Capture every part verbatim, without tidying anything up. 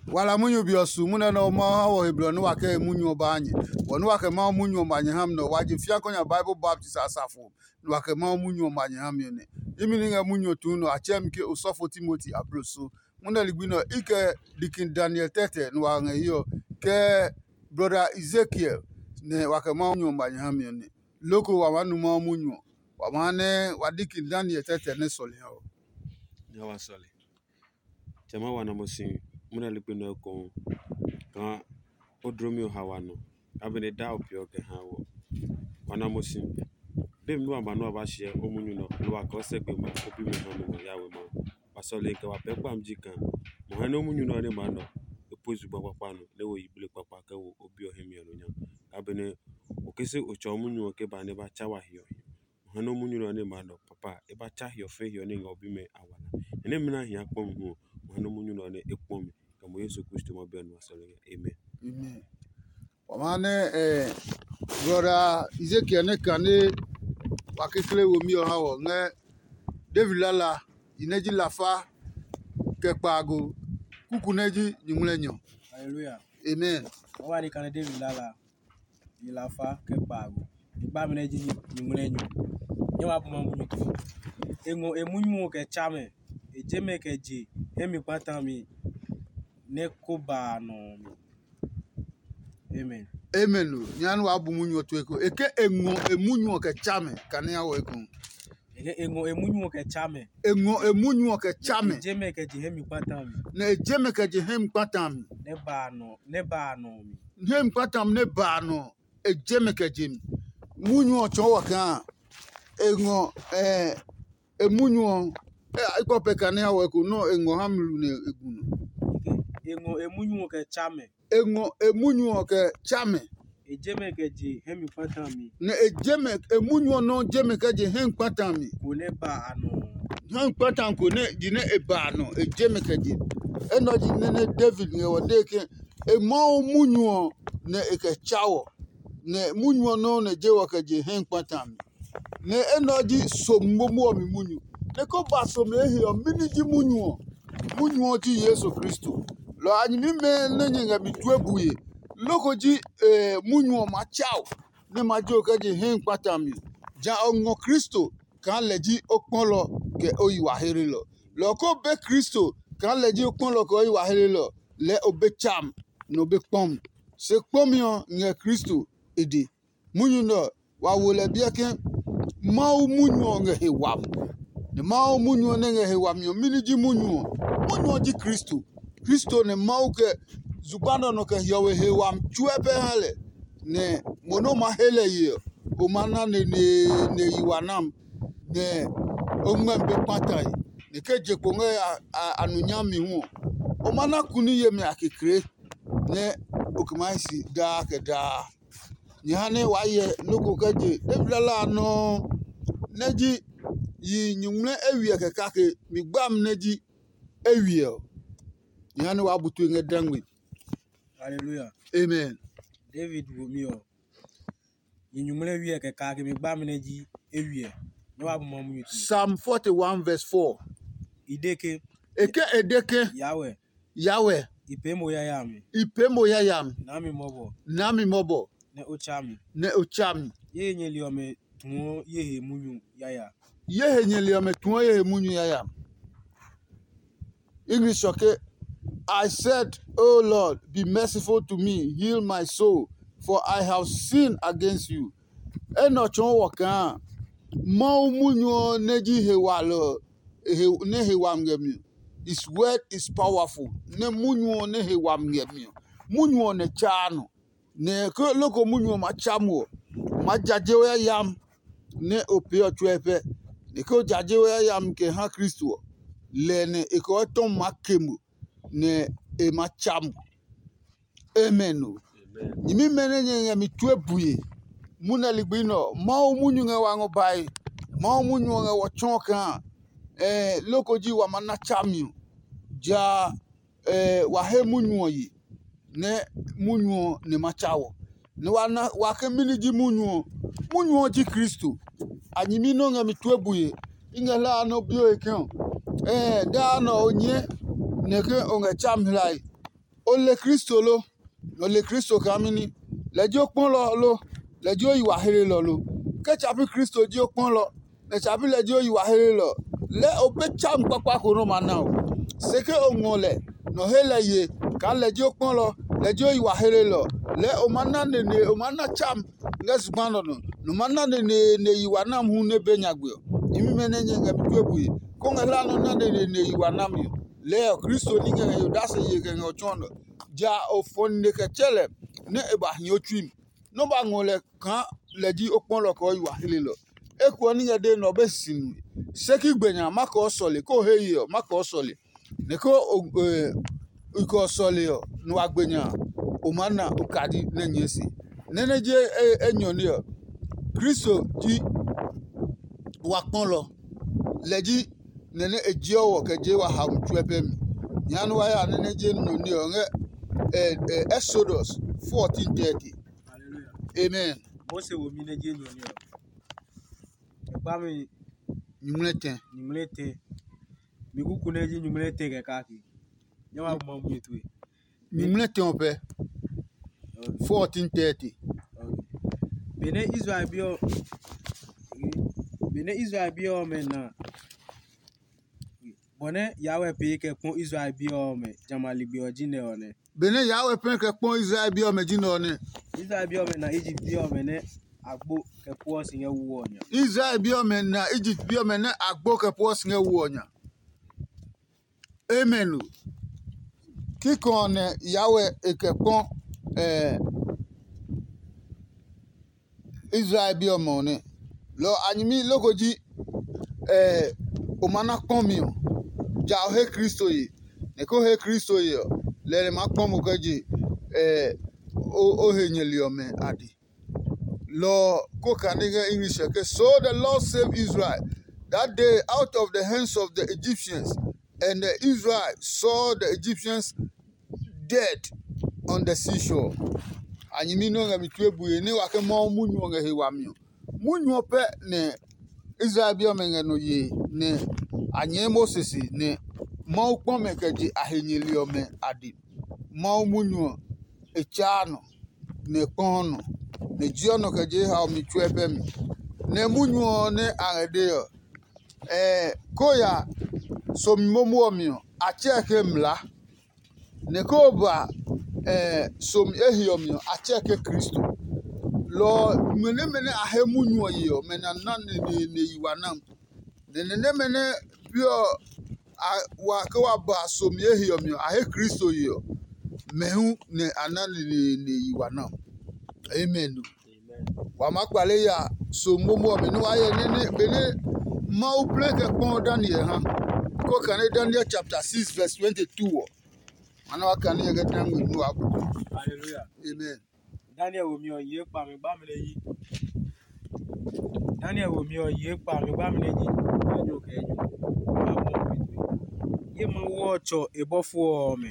Wala munyu be ɔ su munyu nɛ Mawu ha wɔ he blɔ nɛ wa kɛ he munyu ɔ baa nyɛ. Bɔ nɛ wa kɛ Mawu munyu ɔ ma nyɛ ha mi nɛ ɔ, wa je fia kɔ nya Bible baptist asafo nɛ wa kɛ Mawu munyu ɔ ma nyɛ ha mi ɔ nɛ. Imi ni ngɛ munyu ɔ tuu nɛ ɔ, a tsɛɛ mi ke osɔfo Timoti abloso. Munɛ ligbi nɛ ɔ, i kɛ Dikin Daniel tɛtɛ nɛ wa ngɛ hiɛ ɔ, kɛ brɔda Ezekiel nɛ wa kɛ Mawu munyu ɔ ma nyɛ ha mi ɔ nɛ. Loko wa maa nu Mawu munyu ɔ, wa maa nɛ wa Dikin Daniel tɛtɛ nɛ sɔlemi ɔ. Nya wa sɔle. Tsɛ ma wa nɔ mo si munɛ ligbi nɛ ɔ ekohu kaa o dlomi ɔ ha wa nɔ, a benɛ daa o peeɔ kɛ ha wɔ. Wa nɔ mo si. Be mi nua ba nua ba hyɛ o munyu nɔ, nɛ wa kɔɔ sɛ gbe ma o bimi ha mi ngɔ ya we Mawu. Wa sɔle kɛ wa pɛɛ kpami ji kaa mo hɛ nɛ o munyu nɛ ɔ nɛ maa nɔ e pue zugba kpakpa nɔ nɛ wo yiblii kpakpa kɛ wo o bi ɔ hɛ mi ɔ nɔ nya. A benɛ o ke se o tsɔ o munyu ɔ ke ba nɛ ba tsa wa hiɔhiɔ. Mo ha nɛ o munyu nɛ ɔ nɛ maa nɔ papa e ba tsa hiɔfɛ hiɔ nɛ ngɛ o bimɛ a wala. Nɛ nɛ mina hia kpɔ mi hu ɔ, mo ha nɛ o munyu nɛ ɔ nɛ e kpɔ mi kɛ mo Yesu Kristo ma bɛ nua sɔlemi ɔ. Amen. Amen. Wa maa nɛ eh, brɔda Ezekiel nɛ kane wa kekle womi ɔ ha wɔ ngɛ David lala yi nɛ ji lafa kɛ kpaago kuku nɛ ji nyuŋmlɛnyɔ. Hallelujah. Amen. Wa ni kane David lala yi lafa kɛ kpaago. Ni kpa mi nɛ ji nyuŋmlɛnyɔ. Nyɛ wa bu ma munyu tue. E ngɔ e munyu ɔ kɛ tsa mɛ. E je mɛ kɛ je hɛ mi kpata mi nɛ ko ba a nɔ mi. Amen. Amen o. Nya nɛ waa bu munyu ɔ tue ko. E ke e ngɔ e munyu ɔ kɛ tsa mɛ kane a wɔ eko. E ke e ngɔ e munyu ɔ kɛ tsa mɛ. E ngɔ e munyu ɔ kɛ tsa mɛ. E je mɛ kɛ je hɛ mi kpata mi. Nɛ e je mɛ kɛ je hɛ mi kpata mi. Nɛ ba a nɔ nɛ ba a nɔ mi. Hɛ mi kpata mi nɛ ba a nɔ. E je mɛ kɛ je mi. Munyu ɔ tsɔɔ wɔ kaa e ngɔ eh, e munyu ɔ. E kpɔ pɛ kane a wɔ eko nɔ e ngɔ ha mi lu nɛ e gu nɔ. E ngɔ e munyu ɔ kɛ tsa mɛ. E ngɔ e munyu ɔ kɛ tsa mɛ. E je mɛ kɛ je hɛ mi kpata mi. Nɛ e je mɛ e munyu ɔ nɔ je mɛ kɛ je hɛ kpata mi. Ko nɛ ba a nɔ. Hɛ kpata ko nɛ ji nɛ e ba a nɔ e je mɛ kɛ je. Enɔ ji nɛ nɛ David ngɛ wɔ de ke e Mawu munyu ɔ nɛ e kɛ tsa wɔ. Nɛ munyu ɔ nɔuu nɛ je wɔ kɛ je hɛ kpata mi. Nɛ enɛ ɔ ji somi momo ɔ mi munyu. Nɛ ko ba somi e he ɔ, mɛni ji munyu ɔ? Munyu ɔ ji Yesu Kristo. Lɔ a nyɛmimɛ nɛ nyɛ ngɛ mi tue bue. Loko ji munyu ɔ ma tsa o, nɛ ma je o kɛ je hɛ kpata mi. Ja o ngɔ Kristo kaa lɛ ji o kpɔlɔ kɛ o yi wa hlelɔ. Lɔ ko be Kristo kaa lɛ ji o kpɔlɔ kɛ o yi wa hlelɔ, lɛɛ o be tsam, nɛ o be kpɔm. Se kpɔmi ɔ ngɛ Kristo e de. Munyu nɛ ɔ, wa wo lɛ biɛ ke Mawu munyu ɔ ngɛ he wami. Nɛ Mawu munyu ɔ nɛ ngɛ he wami ɔ, mɛni ji munyu ɔ? Munyu ɔ ji Kristo. Kristo nɛ Mawu kɛ zugba nɛ ɔ nɔ kɛ hiɔwe he wami tsuɛ pɛ ha lɛ. Nɛ mo nɛ o ma he lɛ ye ɔ, o ma na neneene yi wa nam, nɛ o ngmɛmi be kpatae, nɛ ke je kpo ngɛ a nu nyami hu ɔ, o ma na kuni yemi a kekle, nɛ o kɛ maa hi si daa kɛ daa. Nyɛ ha nɛ waa hyɛ nɔ́ ko kɛ je David lala a nɔuu nɛ ji yi nyuŋmlɛ eywiɛ kɛ kake mi gbami nɛ ji eywiɛ ɔ. Nyɛ ha nɛ waa bu tue ngɛ dangme. Hallelujah. Amen. David womi ɔ, yi nyuŋmlɛ eywiɛ kɛ kake mi gbami nɛ ji eywiɛ. Nyɛ waa bu ma munyu tue. Psalm forty-one verse four. I de ke, E ke e de ke, Yahweh, Yahweh, i pee mo yayami. I pee mo yayami. Naa mi mɔbɔ. Naa mi mɔbɔ. Nɛ o tsa mi. Nɛ o tsa mi. Ye nyɛli ɔmɛ tuɔ ye he munyu yaya. Ye he nyɛli ɔmɛ tuɔ ye he munyu yaya. English ɔ ke, I said, O Lord, be merciful to me, heal my soul, for I have sinned against you. Enɛ ɔ tsɔɔ wɔ kaa Mawu munyu ɔ nɛ ji he walɔ ɔ, nɛ he wami ngɛ mi ɔ, his word is powerful. Nɛ munyu ɔ nɛ he wami ngɛ mi ɔ, munyu ɔ nɛ tsaa nɔ. Nɛ ke loko munyu ɔ ma tsa mo ɔ, o maa jaje o yayami nɛ o pee ɔ tsuɛ pɛ. Nɛ ke o jaje o yayami kɛ ha Kristo ɔ, lɛ nɛ e kɛ o etɔmi maa ke mo, nɛ e ma tsa mo. Amen o. Nyɛmimɛ nɛ nyɛ ngɛ mi tue bue, munɛ ligbi nɛ ɔ, Mawu munyu ngɛ wa ngɔ bae. Mawu munyu ɔ ngɛ wɔ tsɔɔ kaa loko ji wa ma na tsami ɔ, ja wa he munyu ɔ ye, nɛ munyu ɔ nɛ ma tsa wɔ. Nɛ wa na wa ke mɛni ji munyu ɔ? Munyu ɔ ji Kristo. A nyɛmi nɛ o ngɛ mi tue bue. I ngɛ hlaa nɛ o bi o he ke ɔ, ɛɛ daa nɛ o nyɛɛ nɛ ke o ngɛ tsami hlae. O le Kristo lo? O le Kristo kaa mɛni? Lɛ ji o kpɔlɔ lo? Lɛ ji o yi wa hlelɔ lo? Ke tsa pi Kristo ji o kpɔlɔ, nɛ tsa pi lɛ ji o yi wa hlelɔ, lɛɛ o be tsami kpakpa ko nɛ o ma na o. Se ke o ngɔ lɛ, nɛ o he lɛ ye kaa lɛ ji o kpɔlɔ, lɛ ji o yi wa hlelɔ, lɛɛ o ma na neneene, o ma na tsami ngɛ zugba nɔ nɔ, nɛ o ma na neneene yi wa nami hu nɛ be nyagbe ɔ. Nyɛmimɛ nɛ nyɛ ngɛ mi tue bue, kó ngɛ hlaa nɔ na neneene yi wa nami ɔ. Lɛɛ ɔ, Kristo ní ngɛ ngɛ he odase ye kɛ ngɛ o tsɔɔ nɔ. Ja o fɔ nine kɛ tsɛ lɛ nɛ e ba hi o tsui mi, nɛ o ba ngɔ lɛ kaa lɛ ji o kpɔlɔ kɛ o yi wa hlelɔ. Eko ɔ ní ngɛ dee nɛ ɔ be si nue. Se ki gbe nya ma kɛ o sɔle, kó o he ye ɔ ma kɛ o sɔle. Nɛ ke o kɛ o sɔle ɔ, nɛ wa gbe nya a, o maa na okadi nɛ nyɛɛ se. Nɛ́ nɛ je enyɔ ní ɔ, Kristo ji wa kpɔlɔ. Lɛ ji nɛ nɛ e jeɔ wɔ kɛ jee wa haomi tsuɛ pɛ mi. Nya nɛ wa ya nɛ nɛ je nɔ ní ɔ ngɛ Exodus fourteen thirty. Amen. Mose womi nɛ je nɔ ní ɔ. E kpa mi nyuŋmlɛ tɛ. Nyuŋmlɛ tɛ. Mi kuku nɛ ji nyuŋmlɛ tɛ kɛ kake. Nyɛ wa ma mu etue. Nyuŋmlɛ tɛ ɔ pɛ. Fourteen thirty. Benɛ Israel bi ɔ, benɛ Israel bi ɔmɛ na, bɔ nɛ Yahweh pee kɛ kpɔ Israel bi ɔmɛ jamɛ a ligbi ɔ ji nɛ ɔ nɛ. Benɛ Yahweh pee kɛ kpɔ Israel bi ɔmɛ ji nɛ ɔ nɛ. Israel bi ɔmɛ na Egypt bi ɔmɛ nɛ agbo kɛ puɔ si ngɛ wu ɔ nya. Israel bi ɔmɛ na Egypt bi ɔmɛ nɛ agbo kɛ puɔ si ngɛ wu ɔ nya. Amen o. Kikɔ ɔ nɛ Yahweh e kɛ kpɔ eh, Israel bi ɔmɛ ɔ nɛ. Lɔ a nyɛmi loko ji eh, o ma na kpɔmi ɔ, ja o he Kristo ye. Nɛ ko he Kristo ye ɔ, lɛ nɛ ma kpɔ mo kɛ je eh, o, o he nyɛli ɔmɛ a di. Lɔ ɔ ko kane ngɛ English ɔ ke, "So the Lord saved Israel that day out of the hands of the Egyptians, and the Israel saw the Egyptians dead on the seashore." A nyɛmi nɛ ɔ ngɛ mi tue bue nɛ wa ke Mawu munyu ɔ ngɛ he wami ɔ. Munyu ɔ pɛ nɛ Israel bi ɔmɛ ngɛ nɔ yee nɛ a nyɛɛ Moses se nɛ Mawu kpɔ mɛ kɛ je a he nyɛli ɔmɛ a di. Mawu munyu ɔ, e tsaa nɔ, nɛ e kpɔɔ nɔ, nɛ e jiɔ nɔ kɛ je haomi tsuɛ pɛ mi. Nɛ munyu ɔ nɛ a ngɛ dee ɔ, ɛɛ ko ya somi momo ɔ mi ɔ, a tsɛɛ ke mlaa. Nɛ ko ba ɛɛ somi ehe ɔ mi ɔ, a tsɛɛ ke Kristo. Lɔ ɔ, nue nɛmɛ nɛ a he munyu ɔ ye ɔ, mɛ na na neneene yi wa nam. Nɛ nɛ nɛmɛ nɛ bi ɔ a wa ke wa ba somi ehe ɔ mi ɔ, a he Kristo ye ɔ, mɛ hu nɛ a na neneene yi wa nam. Amen. Wa maa kpale ya so momo ɔmɛ nɛ wa hyɛ nɛ nɛ benɛ Mawu plɛ kɛ kpɔ Daniel ha. Ko kane Daniel chapter six verse twenty-two ɔ. Ma na wa kane yɛ kɛ ta ngmi nu wa bu. Hallelujah. Amen. Daniel wo mi ɔ ye kpa mi gba mi ne yi. Daniel wo mi ɔ ye kpa mi gba mi ne yi. Nyo kɛ nyo. Ye Mawu ɔ tsɔ e bɔfo ɔmɛ.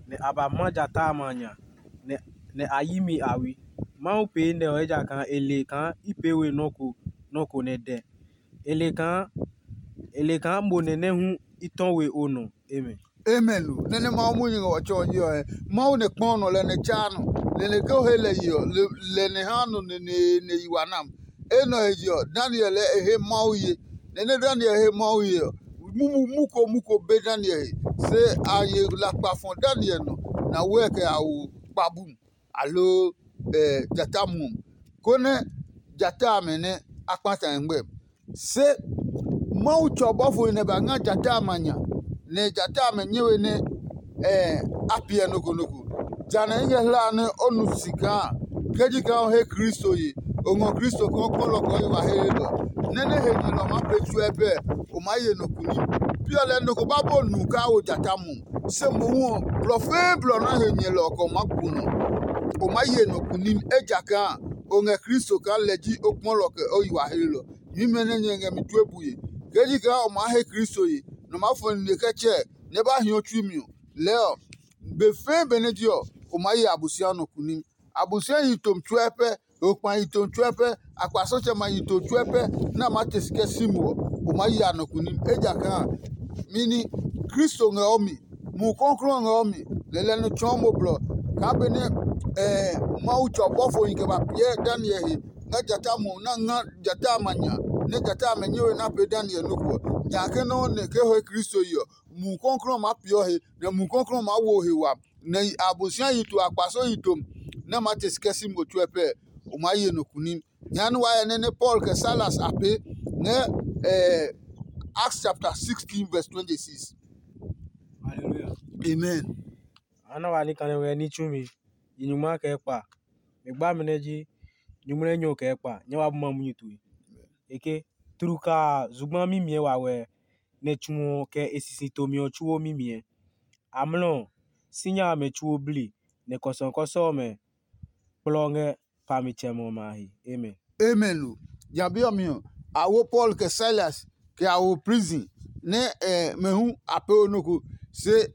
Nɛ a ba ma jata a ma nya, nɛ a yi mi a we. Mawu pee nɛ ɔ ejakaa e le kaa i pee we nɔ́ ko nɔ́ ko nɛ dɛ. E le kaa e le kaa mo nɛ nɛ hu i tɔ we o nɔ. Amen. Amen o. Nɛ nɛ Mawu munyu ngɛ wa tsɔ ɔ je ɔ, Mawu nɛ kpɔ nɔ lɛ nɛ tsaa nɔ, lɛ nɛ ke o he lɛ ye ɔ, lɛ nɛ ha nɔ neneene yi wa nam. Enɛ ɔ he je ɔ, Daniel lɛ e he Mawu ye. Nɛ nɛ Daniel he Mawu ye ɔ, mumu mu ko mu ko be Daniel he. Se a ye lakpa fɔ Daniel nɔ, na wɛ kɛ a wo kpa bum, aloo jata muɔ, konɛ jata amɛ nɛ a kpata ngmɛ. Se Mawu tsɔ bɔfo nɛ ba nga jata amɛ a nya, nɛ jata amɛ nyɛ we nɛ a piɛ nɔ ko nɔ ko. Jã nɛ i ngɛ hlae nɛ o nu si kaa ke ji kaa o he Kristo ye, o ngɔ Kristo kaa o kpɔlɔ kɛ o yi wa he nɛ nɛ he nyɛ nɔ maa pee tsuɛ bɛ, o maa ye nɔ kunim. Pi ɔ lɛɛ nɔ ko ba bɔ nu kaa wo jata mu, se mohu ɔ, blɔ fɛɛ blɔ nɛ he nyɛlɔ ɔ kɛ o maa ku nɔ. O maa ye nɔ kunim, ejakaa o ngɛ Kristo kaa lɛ ji o kpɔlɔ kɛ o yi wa he nɛ. Nyuimɛ nɛ nyɛ ngɛ mi tue bue, ke ji kaa o maa he Kristo ye, nɔ maa fɔ nine kɛ tsɛɛ nɛ e ba hio tsui mi ɔ, lɛɛ ɔ, be fɛɛ benɛ ji ɔ, o maa ye Abosiami nɔ kunim. Abosiami yi tomi tsuɛ pɛ, okpa yi tomi tsuɛ pɛ, akpasɔtsɛmɛ yi tomi tsuɛ pɛ nɛ a maa te si kɛ si mo ɔ, o maa ye a nɔ kunim. Ejakaa mini Kristo ngɛ o mi, Mumi Klɔuklɔu ɔ ngɛ o mi, Lɛlɛ nɔ tsɔɔ mo blɔ kaa benɛ Mawu tsɔ bɔfohi kɛ ba piɛ Daniel he ngɛ jata mo na nga jata a ma nya, nɛ jata amɛ nyɛ we na pee Daniel nɔ́ ko ɔ. Nya ke nɔ́ nɛ ke ho Kristo yi ɔ, Mumi Klɔuklɔu ɔ maa peeɔ he, nɛ Mumi Klɔuklɔu ɔ maa wo he wami, nɛ Abosiami yi to akpaso yi tom nɛ maa te si kɛ si mo tsuɛ pɛ. O maa ye nɔ kunim. Jehanɛ wa hyɛ nɛ nɛ Paul kɛ Silas a pee ngɛ Acts chapter sixteen verse twenty-six. Hallelujah. Amen. A na wa ní kane ngɛ ní tsumi, yi nyungma kɛ kpa. Mi gba mi nɛ ji nyumu nɛ nyɔ kɛ kpa, nyɛ wa bu ma munyu tue. Eke tlukaa zugba mimiɛ wawɛ, nɛ tsu ɔ kɛ e sisi tomi ɔ tsuo mimiɛ. Amlɔ ɔ, sinya amɛ tsuo bli, nɛ kɔsɔkɔsɔ ɔmɛ kplɔ ngɛ pamitsɛmɛ ɔmɛ a he. Amen. Amen o. Jabi ɔ mi ɔ, a wo Paul kɛ Silas kɛ a wo prison nɛ mɛ hu a pee o nɔ ko se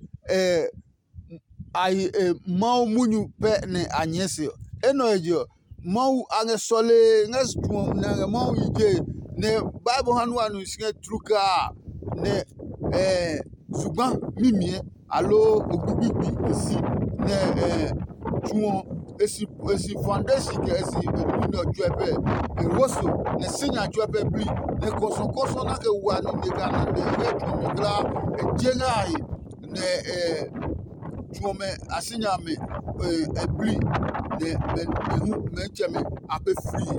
a yi Mawu munyu pɛ nɛ a nyɛɛ se ɔ. Enɛ ɔ he je ɔ, Mawu a ngɛ sɔlee ngɛ tsu ɔ nɛ a ngɛ Mawu yi je, nɛ Bible ha nu a nu si ngɛ tlukaa nɛ zugba mimiɛ aloo ogbigbi e si nɛ tsu ɔ e si e si foundation kɛ e si e nui nɛ ɔ tsuɛ pɛ e wo so nɛ sinya tsuɛ pɛ bli nɛ kɔsɔkɔsɔ na kɛ wa nine kɛ a na nɛ e ngɛ tsu ɔ mi kulaa e je ngɛ a he nɛ tsu ɔmɛ a sinya amɛ e bli nɛ mɛ hu mɛtsɛmɛ a pɛ frii.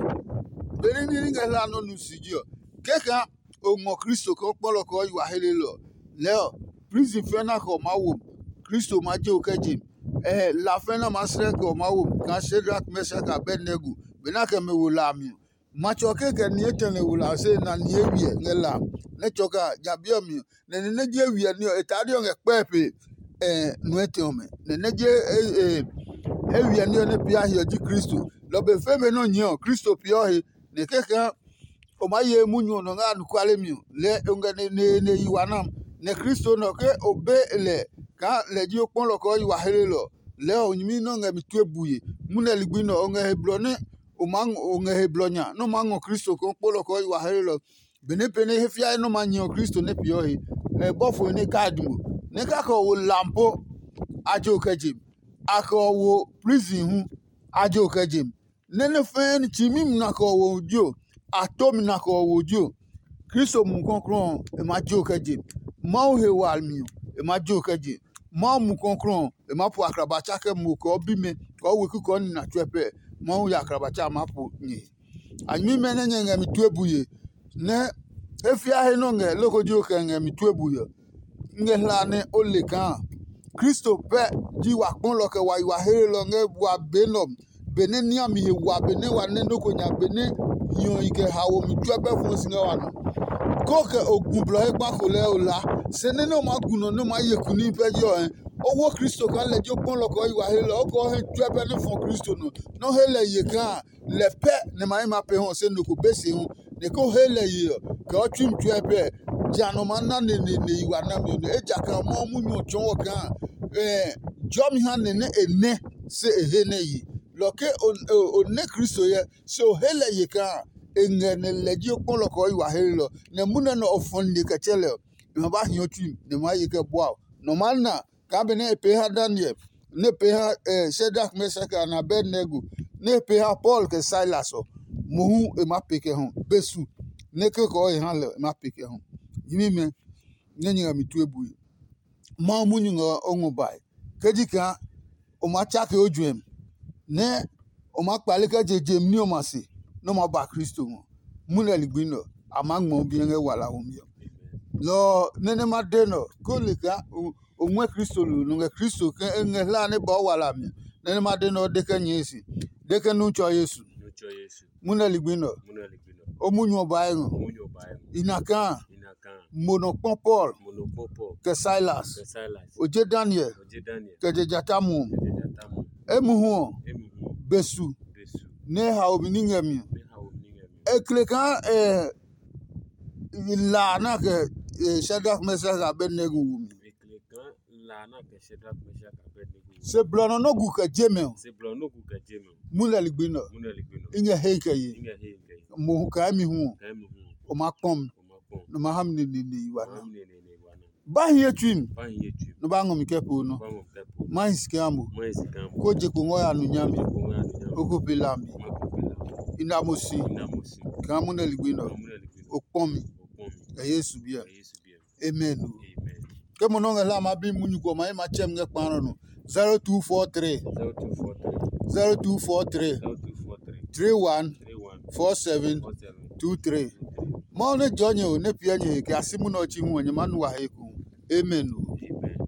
Benɛ ní ngɛ hla nɔ nu si ji ɔ, kɛkɛ o ngɔ Kristo kaa kpɔlɔ kɛ ɔ yi wa helelɔ ɔ, lɛɛ ɔ, prison fɛ̃ nɛ a kɛ ɔ maa wo mi, Kristo ma je o kɛ je mi. Ɛɛ la fɛ̃ nɛ a maa srɛ kɛ ɔ maa wo mi kaa Shadrak, Mɛshak, Abednego benɛ a kɛ mɛ wo la a mi ɔ. Matsɛ ɔ kekɛ ni etɛ nɛ wo la ɔ se na ni ewiɛ ngɛ la a. Nɛ tsɔ kaa ja bi ɔ mi ɔ, nɛ ni nɛ ji ewiɛ ní ɔ e taa ní ɔ ngɛ kpɛe pe nuɛ tɛ ɔmɛ. Nɛ nɛ ji ewiɛ ní ɔ nɛ pia hiɔ ji Kristo. Lɔ be fe be nɛ ɔ nyɛɛ ɔ, Kristo peeɔ he, nɛ kɛkɛ o maa ye munyu ɔ nɔ ngɛ anɔkuale mi ɔ, lɛɛ o ngɛ neneene yi wa nam. Nɛ Kristo nɛ ɔ ke o be lɛ kaa lɛ ji o kpɔlɔ kɛ ɔ yi wa helelɔ ɔ, lɛɛ o nyɛmi nɛ o ngɛ mi tue bue. Munɛ ligbi nɛ ɔ, o ngɛ he blɔ nɛ o maa o ngɛ he blɔ nya nɛ o maa ngɔ Kristo kaa o kpɔlɔ kɛ ɔ yi wa helelɔ. Benɛ pɛ nɛ he fiae nɛ o maa nyɛ ɔ Kristo nɛ peeɔ he, ɛ bɔfo nɛ e kai dumi. Nɛ kake ɔ wo lam po, a je o kɛ je mi. A kɛ ɔ wo prison hu, a je o kɛ je mi. Nɛ nɛ fɛɛ ni tsimi mi na kɛ ɔ wo jio, a to mi na kɛ ɔ wo jio. Kristo Mumi Klɔuklɔu ɔ, e maa je o kɛ je. Mawu he wami ɔ, e maa je o kɛ je. Mawu Mumi Klɔuklɔu ɔ, e maa po akraba tsa kɛ mo kɛ ɔ bimɛ kɛ ɔ weku kɛ ɔ nina tsuɛ pɛ. Mawu ya akraba tsa a maa po nyɛ he. A nyɛmimɛ nɛ nyɛ ngɛ mi tue bue, nɛ he fiahe nɛ o ngɛ loko ji o kɛ ngɛ mi tue bue ɔ, ngɛ hla nɛ o le kaa Kristo pɛ ji wa kpɔlɔ kɛ wa yi wa helelɔ ngɛ wa be nɛ ɔ, benɛ ní a mi he wa benɛ wa nɛ nɔ́ ko nya benɛ hiɔhi kɛ haomi tsuɛ pɛ fɔɔ si ngɛ wa nɔ. Koo kɛ o gu blɔ he kpa ko lɛɛ o la, se nɛ nɛ o maa gu nɔ nɛ o maa ye kuni pɛ ji ɔ, o wo Kristo kaa lɛ ji o kpɔlɔ kɛ o yi wa helelɔ, o kɛ o he tsuɛ pɛ nɛ fɔ Kristo nɔ, nɛ o he lɛ ye kaa lɛ pɛ nɛ ma hɛ ma pee hɔ se nɔ ko be se hu, nɛ ko he lɛ ye ɔ, kɛ ɔ tsui mi tsuɛ pɛ, ja nɔ maa na neneene yi wa nami ɔ nɛ. Ejakaa Mawu munyu ɔ tsɔɔ wɔ kaa jɔmi ha nɛ nɛ e nɛ se e he nɛ ye. Lɔ ke o nɛ Kristo hyɛ, se o he lɛ ye kaa e ngɛ nɛ lɛ ji o kpɔlɔ kɛ ɔ yi wa helelɔ, nɛ munɛ nɛ o fɔ nine kɛ tsɛ lɛ ɔ, e ma ba hi o tsui mi, nɛ e maa ye kɛ bua o. Nɔ maa na kaa benɛ e pee ha Daniel, nɛ e pee ha Shadrak, Meshak, kɛ Abednego, nɛ e pee ha Paul kɛ Silas ɔ, mohu e maa pee kɛ hɔ be su, nɛ kekɔ ɔ e ha lɛ ɔ, e maa pee kɛ hɔ. Nyɛmimɛ, nɛ nyɛ ngɛ mi tue bue. Mawu munyu ngɛ o ngɔ bae. Ke ji kaa o maa tsake o juɛmi, nɛ o maa kpale kɛ je je mi ní ɔmɛ a se, nɛ o maa ba Kristo ngɔ. Munɛ ligbi nɛ ɔ, a maa ngmɔ o biɛ ngɛ walaho mi ɔ. Lɔ ɔ nɛ nɛ ma de nɛ ɔ, ko le kaa o ngɔɛ Kristo lo nɔ ngɛ Kristo kɛ e ngɛ hla nɛ ba o wala mi ɔ, nɛ nɛ ma de nɛ ɔ de kɛ nyɛɛ si, de kɛ nu tsɔ Yesu. Munɛ ligbi nɛ ɔ, o munyu ɔ ba e ngɔ. I na kaa mo nɔ kpɔ Paul kɛ Silas. O je Daniel kɛ je jata muɔ. Emuhu ɔ, be su nɛ e hao mi ní ngɛ mi ɔ, e kle kaa la a na kɛ Shadrak, Meshak, Abednego wo mi. Se blɔ nɔ nɔ́ gu kɛ je mɛ ɔ, mu lɛ ligbi nɛ ɔ, i ngɛ he kɛ ye. Mo kaa mi hu ɔ, o ma kpɔn mi, nɔ ma ha mi neneene yi wa na. Ba hiɛ tsui mi, nɔ ba ngɔ mi kɛ po nɔ. Mahi si kaa mo. Mahi si kaa mo. Ko je ko ngɔ ya nu nyami. Ko ngɔ ya nu nyami. O ko pe lambi. Ma ko pe lambi. Ina mo si. Ina mo si. Kaa mo ne ligbi nɔ. Kaa mo ne ligbi nɔ. O kpɔ mi. O kpɔ mi. Kɛ Yesu biɛ. Kɛ Yesu biɛ. Amen. Amen. Ke mo nɔ ngɛ hla ma bi munyu ko ma ye ma tsɛm ngɛ kpa nɔ no. zero two four three. zero two four three. zero two four three. zero two four three. three one. three one. four seven. four seven. two three. Mawu nɛ jɔ nyɛ o, nɛ piɛ nyɛ he kɛ a si munɛ ɔ tsi hu ɔ, nyɛ ma nu wa he ku. Amen o.